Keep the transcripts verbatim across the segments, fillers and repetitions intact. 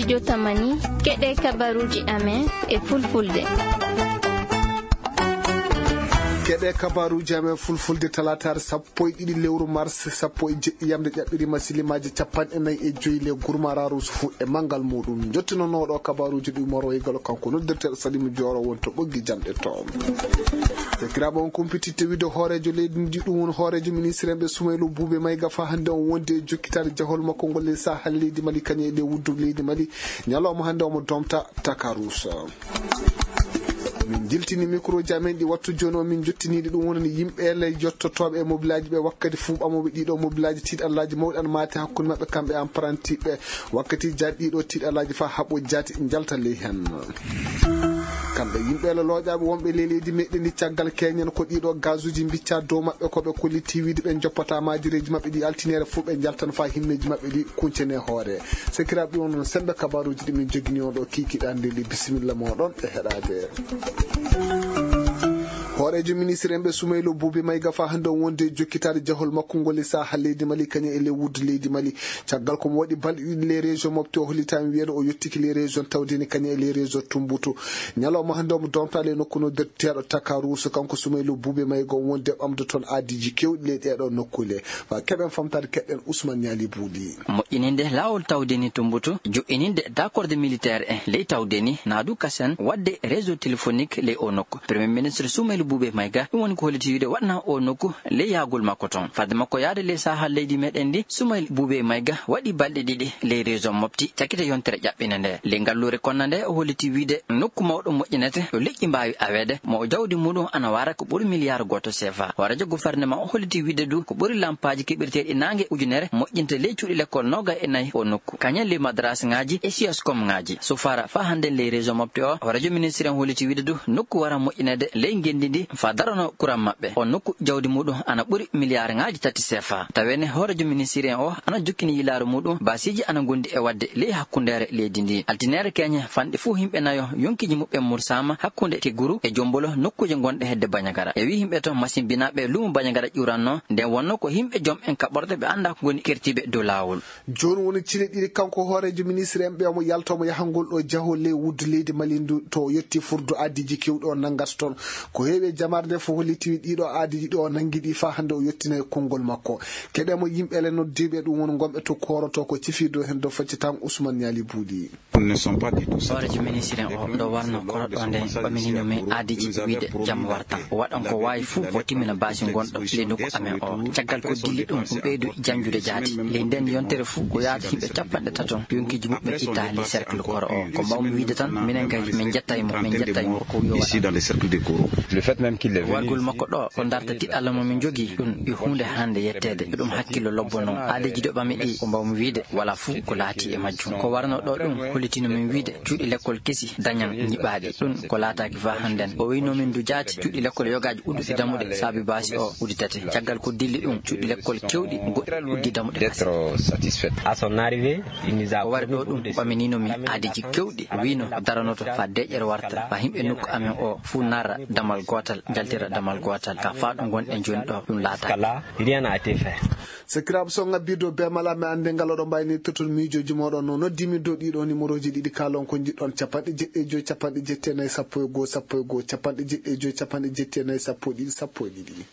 Jotamani, keɗe kabaruuji amen e fulfulde. Keɗe kabaruuji amen fulfulde talaataare sappo e ɗiɗi lewru mars, sappo e jeɗɗi yamde ƴaɓɓiri masilimaaji capanɗe nayi e joyi le gurmaraaru sufu e manngal muuɗum. Njottinonooɗo kabaruuji ɗi moro e galo kanko noddirteeɗo Salimu Jooro won to ɓoggi jamɗe to. Sakiraaɓe, on kumpititte wiide hooreejo leydi ndi, ɗum woni hooreejo ministre en ɓe Sumaylu Buube Mayga, fa hannde on wondi e jokkitaade jahol makko ngol e sahal leydi Mali, kañum e ɗe wuddu leydi Mali. Ñalawma hannde omo domta Takarusa. Min jiltini microji amen ɗi wattu jooni o, min jottiniiɗi ɗum wonani yimɓe le yottotooɓe e mobilaaji ɓe wakkati fuu ɓamooɓe ɗiɗo mobilaaji tiiɗallaaji mawɗi an maati hakkunde maɓɓe kamɓe apprenti ɓe. Wakkati jaati ɗiɗo tiiɗallaaji fa haɓo jaati njalta ley hen. Kamɓe yimɓe le looƴaaɓe wonɓe ley leydi meɗen ndi caggal keñen ko ɗiɗo gazuji mbicca dow maɓɓe ko ɓe kolliti wiide ɓe joppata maajireeji maɓɓe ɗi altiniere fuu ɓe njaltan fa himmeeji maɓɓe ɗi kuncene hoore. Sakiraaɓe, ɗum noon sembe kabaruuji ɗi min jogini on ɗo kiikiɗe hannde ndi. Bisimilla mooɗon e heɗaade. Hooreejo ministre en ɓe Sumaylo Buubi Mayga fa hannde on wonde e jokkitaade jahol makko ngol e saaha leydi Mali kañum e ley wuddu leydi Mali. Caggal ko mo waɗi balɗe ɗiɗi ley région Mopti o hollitaama wiyeede o yettiki ley région Tawdeni kañum e ley région Tumbutu. Ñalawma hannde omo domtaade e nokku noddirteeɗo Takaruusu, kanko Sumaylo Buubi Mayga on wonde ɓamde toon aadiiji keewɗi ley ɗeeɗo nokkuule. Fa keɓen famtaade keɗen Ousmane Ñaali Buuli. Moƴƴininde laawol Tawdeni Tumbutu, jo'ininde dakorde militaire en ley Tawdeni, naadu kasen waɗde réseau téléphonique ley o nokku. Premier ministre Sumaylu Buubi Mayga, ɗum woni ko holliti wiide waɗna o nokku ley yahgol makko toon. Fadde makko yahde ley saaha leydi meɗen ndi, Sumaylu Buubi Mayga waɗi balɗe ɗiɗi ley région Mopti, cakkite yontere ƴaɓɓinde nde. Ley ngalluure konna nde, o holliti wiide nokku mawɗo moƴƴinete, yo leƴƴi mbaawi aweede, mo jawdi muɗum ana wara ko ɓuri miliyaaru gooto C F A. Hooreejo gouvernement o holliti wiide du ko ɓuri lampaaji keɓirteeɗi naange ujunere moƴƴinte ley cuuɗi lekkol noogay e nayi o nokku. Kañum ley madarasa ŋaaji e siyaskom ŋaaji. Sufara fa hannden ley région Mopti o, hooreejo ministre en holliti wiide du nokku wara moƴƴineede ley ngenndi ndi fa darano kuran maɓɓe. O nokku jawdi muɗum ana ɓuri miliyaar ŋaaji tati C F A. Tawene hooreejo ministre en o ana jokkini yilaaru muɗum, baasiiji ana ngondi e waɗde ley hakkundeere leydi ndi. Altineere keñe fanɗi fuu yimɓe nayo yonkiiji muɓɓen mursaama hakkunde Keguru e Jombolo, nokkuuje gonɗe hedde Banjagara. E wi yimɓe to masimbinaaɓe luumo Banjagara ƴuranno, nden wonno ko yimɓe jom en kaɓorɗe ɓe anndaa ko ngoni kertiiɓe dow laawol. Jooni woni cile ɗiɗi kanko hooreejo ministre en ɓe omo yalta omo yahangol ɗo jahol ley wuddu leydi Mali ndu to o yetti furdu aadiiji keewɗi o nanngata toon. Ko heewi e jamaare nde fof holliti ɗiɗo aadiiji ɗo o nanngi ɗi faa hannde o yettinay konngol makko. Keɗemo yimɓe le noddiiɓe ɗum woni gonɓe to kooroto ko cifii dow heen dow faccitango Ousmane Ñaali Buuli. Hooreejo ministre en o ɗo warno koro ɗo nde ɓaminino min aadiiji wiide jam warta. O waɗan ko waawi fuu o timmina baasi gonɗo ley nokku amen o. Caggal ko dilli ɗum, ɗum ɓeydu janjude jaati. Ley nden yontere fuu ko yaata yimɓe capanɗe tato yonkiiji muɓɓen itta ley cercle koro o. Ko mbawmi wiide tan, minen kay min njettay mo, min njettay mo ko wiyo waɗa. Wargol makko ɗo ko darta tiɗalla mo min jogii, ɗum yo huunde hannde yetteede. Ɗum hakkillo lobbo noon. Aadiiji ɗo ɓami ɗi ko mbawmi wiide wala fuu ko laati e majjum. Ko warno ɗo ɗum hollitino min wiide cuuɗi lekkol kesi dañan nyiɓaaɗi. Ɗum ko laataaki faa hannden. O wiyno min du jaati cuuɗi lekkol yogaaji udduɗi damuɗe saabi baasi o udditete. Caggal ko dilli ɗum cuuɗi lekkol kewɗi goɗɗi uddi damuɗe kasen. D'être satisfaite. À son arrivée, il nous a... O wari ɗo ɗum ɓaminino min aadiiji kewɗi. Wiyno daranoto faa deeƴere warta, faa yimɓe nokku amen o fuu narra damal gootal, njaltira damal gootal. Ka faa ɗo ngonɗen jooni ɗo ɗum laataaki. Rien n'a été fait. Sakiraaɓe, so on ngabbii dow beemal amen annde ngal oɗon mbaawi noddirde toon miijooji mooɗon no noddiimi dow ɗiɗo numéroji ɗiɗi kaalon ko njiɗɗon, capanɗe jeɗɗi e joy, capanɗe jeɗɗi e nayi, sappo e goo, sappo e goo, capanɗe jeɗɗi e joy, capanɗe jeɗɗi e nayi, sappo e ɗiɗi, sappo e ɗiɗi.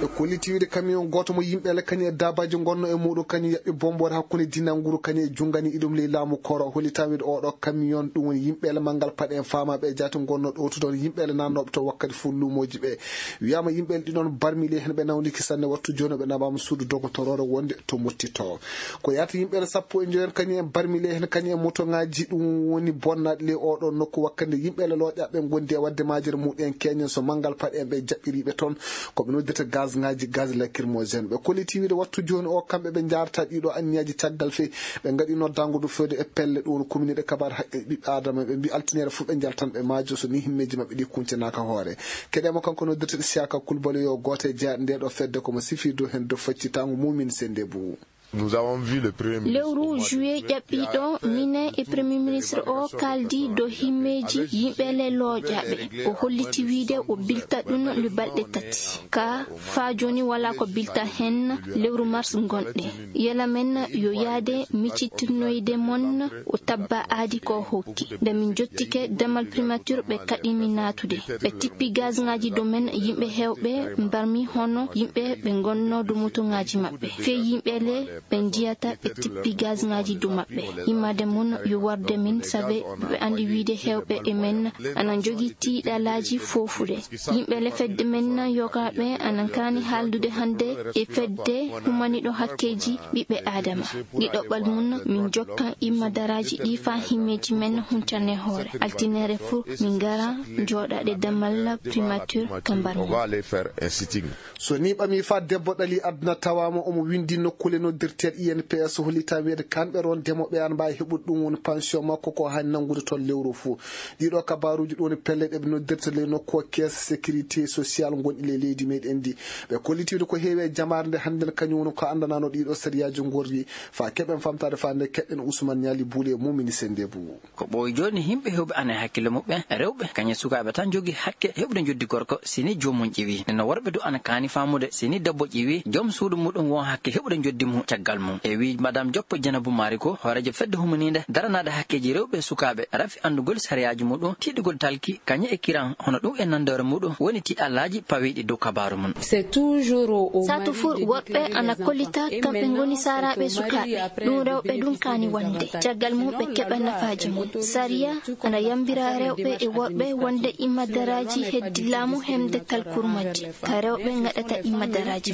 Ɓe kolliti wiide camion gooto mo yimɓe le kañum e daabaaji ngonno e muuɗum kañum yaɓɓi bomboore hakkunde Dinanguru kañum e Jungani iɗum ley laamu Koro. Hollitaama wiide oɗo camion ɗum woni yimɓe le manngal paɗe en faamaaɓe e jaati ngonno ɗowtude on yimɓe le naannooɓe to wakkati fuu luumooji ɓe. Wiyaama yimɓe ɗiɗon barmili heen ɓe nawniki sanne wattu jooni ɓe naɓaama suudu dogotoroore wonde to Mottito. Ko yaata yimɓe sappo e njoyon kañum en barmili heen kañum en motoŋaaji ɗum woni bonnaaɗi ley oɗo nokku wakkati yimɓe looƴaaɓe ngondi e waɗde maajere muɗum en keñen so manngal paɗe en ɓe jaɓɓiriiɓe toon. Ko ɓe noddata gaz ŋaaji, gaz lacrymogène. Ɓe kolliti wiide wattu jooni o kamɓe ɓe njaarata ɗiɗo anniyaaji caggal fee ɓe ngaɗi noddaango du fewde e pelle ɗum woni commune ɗe kabaar haqqe ɓiɓɓe aadama ɓe mbi altiniere fof ɓe njaltan ɓe maajo so ni himmeeji maɓɓe ɗi kuncanaaka hoore. Keɗeemo kanko noddirteeɗo Siyaka Kulbali yo gooto e jeyaaɗe nde ɗo fedde ko mo sifii dow heen dow faccitango Mumin Sende Bou. Lewru juillet ƴaɓɓiiɗo, minen e Premier Ministre o kaaldi dow himmeeji yimɓe le looƴaaɓe. O holliti wiyde o bilta ɗum le balɗe tati. Ka faa jooni walaa ko bilta heen lewru mars ngonɗen. Yela men yo yaade miccitirnoyde mon o tabba aadi ko hokki. Nde min jottike damal primature ɓe kaɗimi naatude. Ɓe tippi gazŋaaji dow men yimɓe heewɓe mbarmi hono yimɓe ɓe ngonnoo dow motoŋaaji maɓɓe. Fee yimɓe le ɓe njiyata ɓe tippi gazŋaaji dow maɓɓe. Yimmaade mum yo warde min, sabe ɓe anndi wiyde heewɓe e men ana njogii tiiɗalaaji foofude. Yimɓe le fedde men yogaaɓe ana kaani haaldude hannde e fedde humaniiɗo hakkeeji ɓiɓɓe Aadama. Ɗi ɗoɓɓal mum min jokkan imma daraaji ɗi faa himmeeji men huncane hoore. Altinere fuu min ngara njooɗaade damal primature ka mbarmi. So ni ɓami faa debbo ɗali aduna tawaama omo winndi nokkuule noddirteeɗe I N P S, hollitaa wiyeede kamɓe ron demooɓe ana mbaawi heɓude ɗum woni pension makko ko haani nanngude toon lewru fuu. Ɗiɗo kabaaruuji ɗo woni pelle ɗe ɓe noddirta ley nokku o caisse sécurité sociale ngonɗi ley leydi meɗen ndi. Ɓe kollitiiɗo ko heewi e jamaare nde hannden kañum woni ko anndanaano ɗiɗo sariyaaji ngorri faa keɓen famtaade faa nde keɗɗen Ousmane Niali Boule e Moumini Sendebou. Ko ɓooyi jooni, yimɓe heewɓe ana e hakkille muɓɓen, rewɓe, kañum e sukaaɓe tan njogii hakke heɓude njoddi gorko, si ni joomum ƴiwi. Nde no worɓe du ana kaani faamude, si ni debbo ƴiwi, joom suudu muɗum won hakke heɓude njoddi mum caggal mum. E wii Madame Joppo Jenabu Maari ko hooreejo fedde humaniinde daranaade hakkeeji rewɓe e sukaaɓe, rafi anndugol sariyaaji muɗum, tiiɗugol talki, kañum e kiran, hono ɗum e nanndoore muɗum woni tiiɗalaaji pawiiɗi dow kabaaru mum. Saatu fuu worɓe ana kollita kamɓe ngoni saaraaɓe sukaaɓe. Ɗum rewɓe ɗum kaani wonde. Caggal mum ɓe keɓa nafaaji mum. Sariya ana yambira rewɓe e worɓe wonde imma daraaji heddi laamu hemde talkur majji. Ka rewɓe ngaɗata imma daraaji.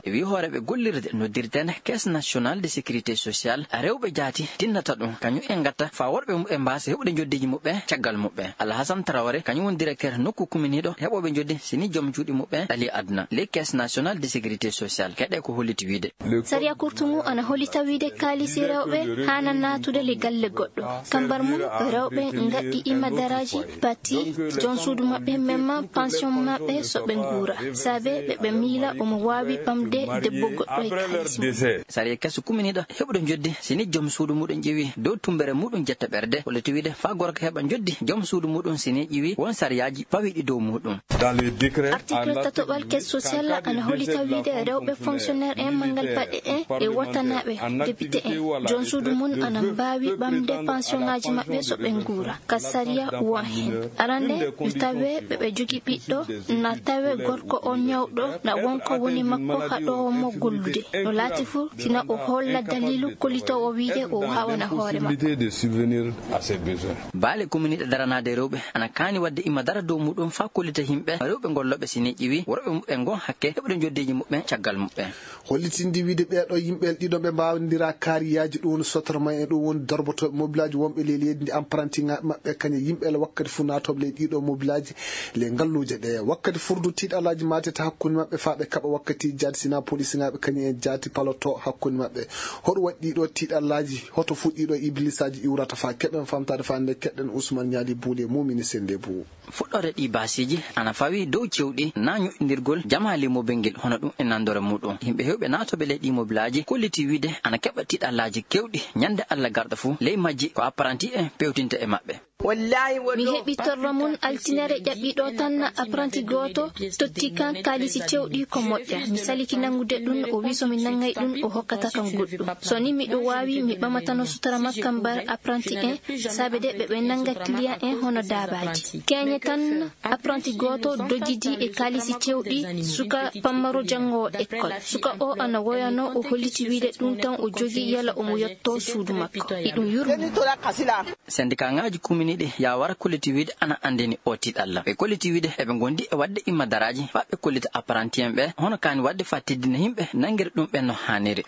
Wi hooreeɓe gollirde noddirteende Caisse Nationale de Sécurité Sociale, rewɓe jaati tinnata ɗum. Kañum en ngatta faa worɓe muɓɓen mbaasa heɓude njoddiiji muɓɓen caggal muɓɓen. Alhasan Traoré, kañum woni directeur nokku kuminiiɗo heɓooɓe njoddi si ni joom juuɗe muɓɓen ɗali aduna. Les Caisses Nationales de Sécurité Sociale, keɗe ko holliti wiide. Sariya kurtu ngu ana hollita wiide kaalisi rewɓe haana naatude le galle goɗɗo. Ka mbar mum, rewɓe ngaɗɗi imma daraaji, bati, joom suudu maɓɓe memma pension maɓɓe so ɓe nguura. Saabe ɓe ɓe miila omo waawi ɓamde debbo goɗɗo e kaalisi mum. Sariya keso kuminiiɗo heɓude njoddi si ni joom suudu muɗum ƴiwi dow tumbere muɗum jetta ɓerde, holliti wiide faa gorko heɓa njoddi joom suudu muɗum si ni ƴiwi won sariyaaji pawiiɗi dow muɗum. Article tatoɓal caisse sociale ana hollita wiide rewɓe fonctionnaire en, manngal baɗe en e wottanaaɓe député en, joom suudu mum ana mbaawi ɓamde pensionŋaaji maɓɓe so ɓe nguura. Ka sariya won heen. Arande, no tawee ɓe ɓe jogii ɓiɗɗo, na tawee gorko on ñawɗo, na won ko woni makko haɗoowo mo gollude. No laati fuu, sina o holla daliilu kollitoowo wiide o waawana hoore makko. Baale kuminiiɗe daranaade rewɓe ana kaani waɗde imma dara dow muɗum faa kollita yimɓe rewɓe ngollooɓe si ni ƴiwi worɓe muɓɓen ngon hakke heɓude njoddeeji muɓɓen caggal muɓɓen. Hollitinde wiide ɓeeɗo yimɓe ɗiɗo ɓe mbaawondira kaariyaaji, ɗum woni sotorma en, ɗum woni darbotooɓe mobilaaji wonɓe ley leydi ndi, apparantiŋaaɓe maɓɓe kañum yimɓe le wakkati fuu naatooɓe ley ɗiɗo mobilaaji ley ngalluuje ɗe. Wakkati furdu tiiɗalaaji maatete hakkunde maɓɓe faa ɓe kaɓa wakkati jaati, sina polisinŋaaɓe kañum en jaati paloto hakkunde maɓɓe. Hoɗum waɗi ɗiɗo tiiɗalaaji? Hoto fuu ɗiɗo ibliisaaji iwrata faa keɓen famtaade faa nde keɗɗen Ousmane Niali Boule e Moumini Sendebou. Fuɗɗoode ɗii baasiiji ana fawi dow cewɗi naa ñoƴƴindirgol jamaali mobel ngel hono ɗum e nanndore muɗum. Yimɓe heewɓe naatooɓe ley ɗii mobilaaji kolliti wiide ana keɓa tiiɗalaaji keewɗi ñannde Alla garɗo fuu. Ley majji ko apparanti en pewtinta e maɓɓe. Mi heɓi torra mum altinere ƴaɓɓiiɗo tan, apparanti gooto totti kan kaalisi cewɗi ko moƴƴa. Mi saliki nanngude ɗum, o wi so mi nanngay ɗum, o hokkata kan goɗɗum. So ni miɗo waawi, mi ɓamatano sutura makka mbar apparanti en, saabe de ɓe ɓe nannga client en hono daabaaji. Keñe tan, apparanti gooto dogidi e kaalisi cewɗi suka pammaro janngoowo école. Suka o ana woyano, o holliti wiide ɗum tan o jogii yala omo yotto suudu makko. Iɗum yurmi. Sendikaaŋaaji kuminiiɗi Yaawara kolliti wiide ana anndini oo tiiɗalla. Ɓe kolliti wiide eɓe ngondi e waɗde imma daraaji faa ɓe kollita apparanti en ɓe hono kaani waɗde faa teddina yimɓe nanngiri ɗum ɓen no haaniri.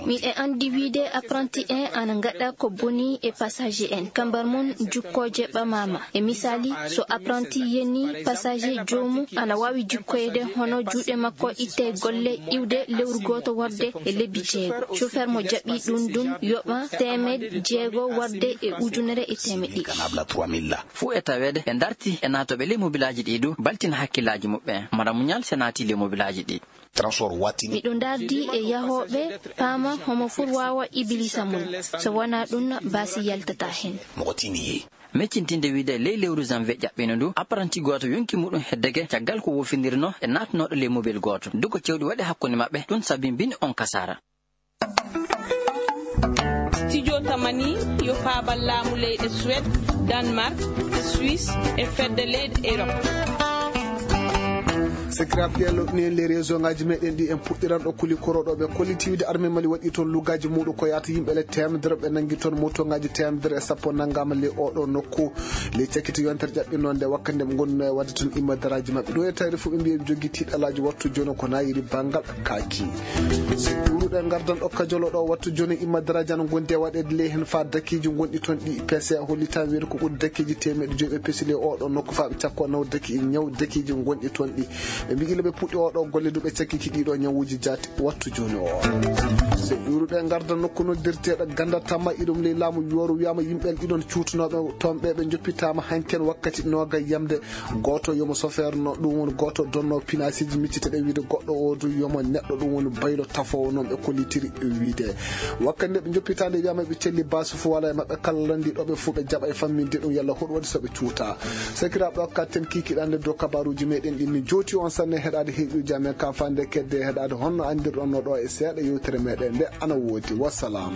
Miɗen anndi wiide apprenti en ana ngaɗa ko boni e passager en, kambar mum jukkooje ɓamaama. E misaali, so apprenti yenii passager joomum, ana waawi jukkoyde hono juuɗe makko itte golle iwde lewru gooto warde e lebbi jeego. Chauffeur mo jaɓi ɗum ɗum yoɓa teemeɗɗe jeego warde e ujunere e teemeɗɗe ɗiɗi. Fuu e taweede ɓe darti e naatooɓe ley mobilaaji ɗi du, baltina hakkillaaji muɓɓen. Mara muñal se naati ley mobilaaji ɗi. Transport wattini. Miɗo ndardi e yahooɓe, paama homo fur waawa ibilisa mum. So wonaa ɗum, baasi yaltata heen. Moko tini. Meccintinde wiide ley lewru janvier ƴaɓɓino ndu, apprenti gooto yonki muɗum heddeke caggal ko wofindirno e naatnooɗo ley mobel gooto. Duko cewɗi waɗi hakkunde maɓɓe, ɗum sabi mbin on kasara. Studio Tamani yo paabal laamu leyɗe Suède, Danemark, e Suisse, e fedde leyɗe Europe. Sakiraaɓe, ɗee loɗɗini en les région ngaji meɗen ɗi. En puɗɗiran ɗo kuli koroɗo ɓe kolliti wiide armée Mali waɗi toon lugaaji muɗum ko yaata yimɓe le teemedere ɓe nangi toon motoŋaaji teemedere e sappo nangama le oɗo nokku. Le cakkiti yontere ƴaɓɓi noon nde wakkati nde ɓe ngonno e waɗde toon imma daraaji maɓɓe. Ɗo e tawde fof ɓe mbiya ɓe jogii tiiɗalaaji wattu jooni ko na iri banngal kaaki. So ƴuuruɗe ngardan ɗo kajolo ɗo wattu jooni imma daraaji ana ngondi e waɗeede ley heen faa dakiiji ngonɗi toon ɗi P C A hollitaa weeru ko ɓuri dakiiji teemeɗɗe joyi ɓe pesi ley oɗo nokku faa ɓe cakko naw daki ñaw dakiiji ngonɗi toon ɗi. Ɓe mbi ila ɓe puɗɗi oɗo golle du ɓe cakkiki ɗiɗo ñawuuji jaati wattu jooni o. So ƴuuruɗe ngarda nokku noddirteeɗo Ganda Tamma iɗum ley laamu yooru wiyama yimɓe ɗiɗon cuutunooɓe toon ɓe ɓe joppitaama hanken wakkati nooga yamde. Gooto yomo sofeer no ɗum woni gooto donno pinasiiji micciteɗe wiide goɗɗo o du yomo neɗɗo ɗum woni baylo tafoowo noon ɓe kollitiri wiide. Wakkati nde ɓe joppitaande wiyama ɓe celli basu fo wala e maɓɓe kala lanndi ɗo ɓe fof ɓe jaɓa e famminde ɗum yalla hoɗum waɗi so ɓe cuuta. Sakiraaɓe o katten kikiɗande dow kabaruuji meɗen ɗin mi jooti on sanne heɗaade heɗuuji amen ka fande kedde heɗaade honno andirɗon no ɗo e seeɗa yewtere meɗen nde ana woodi. Wassalam.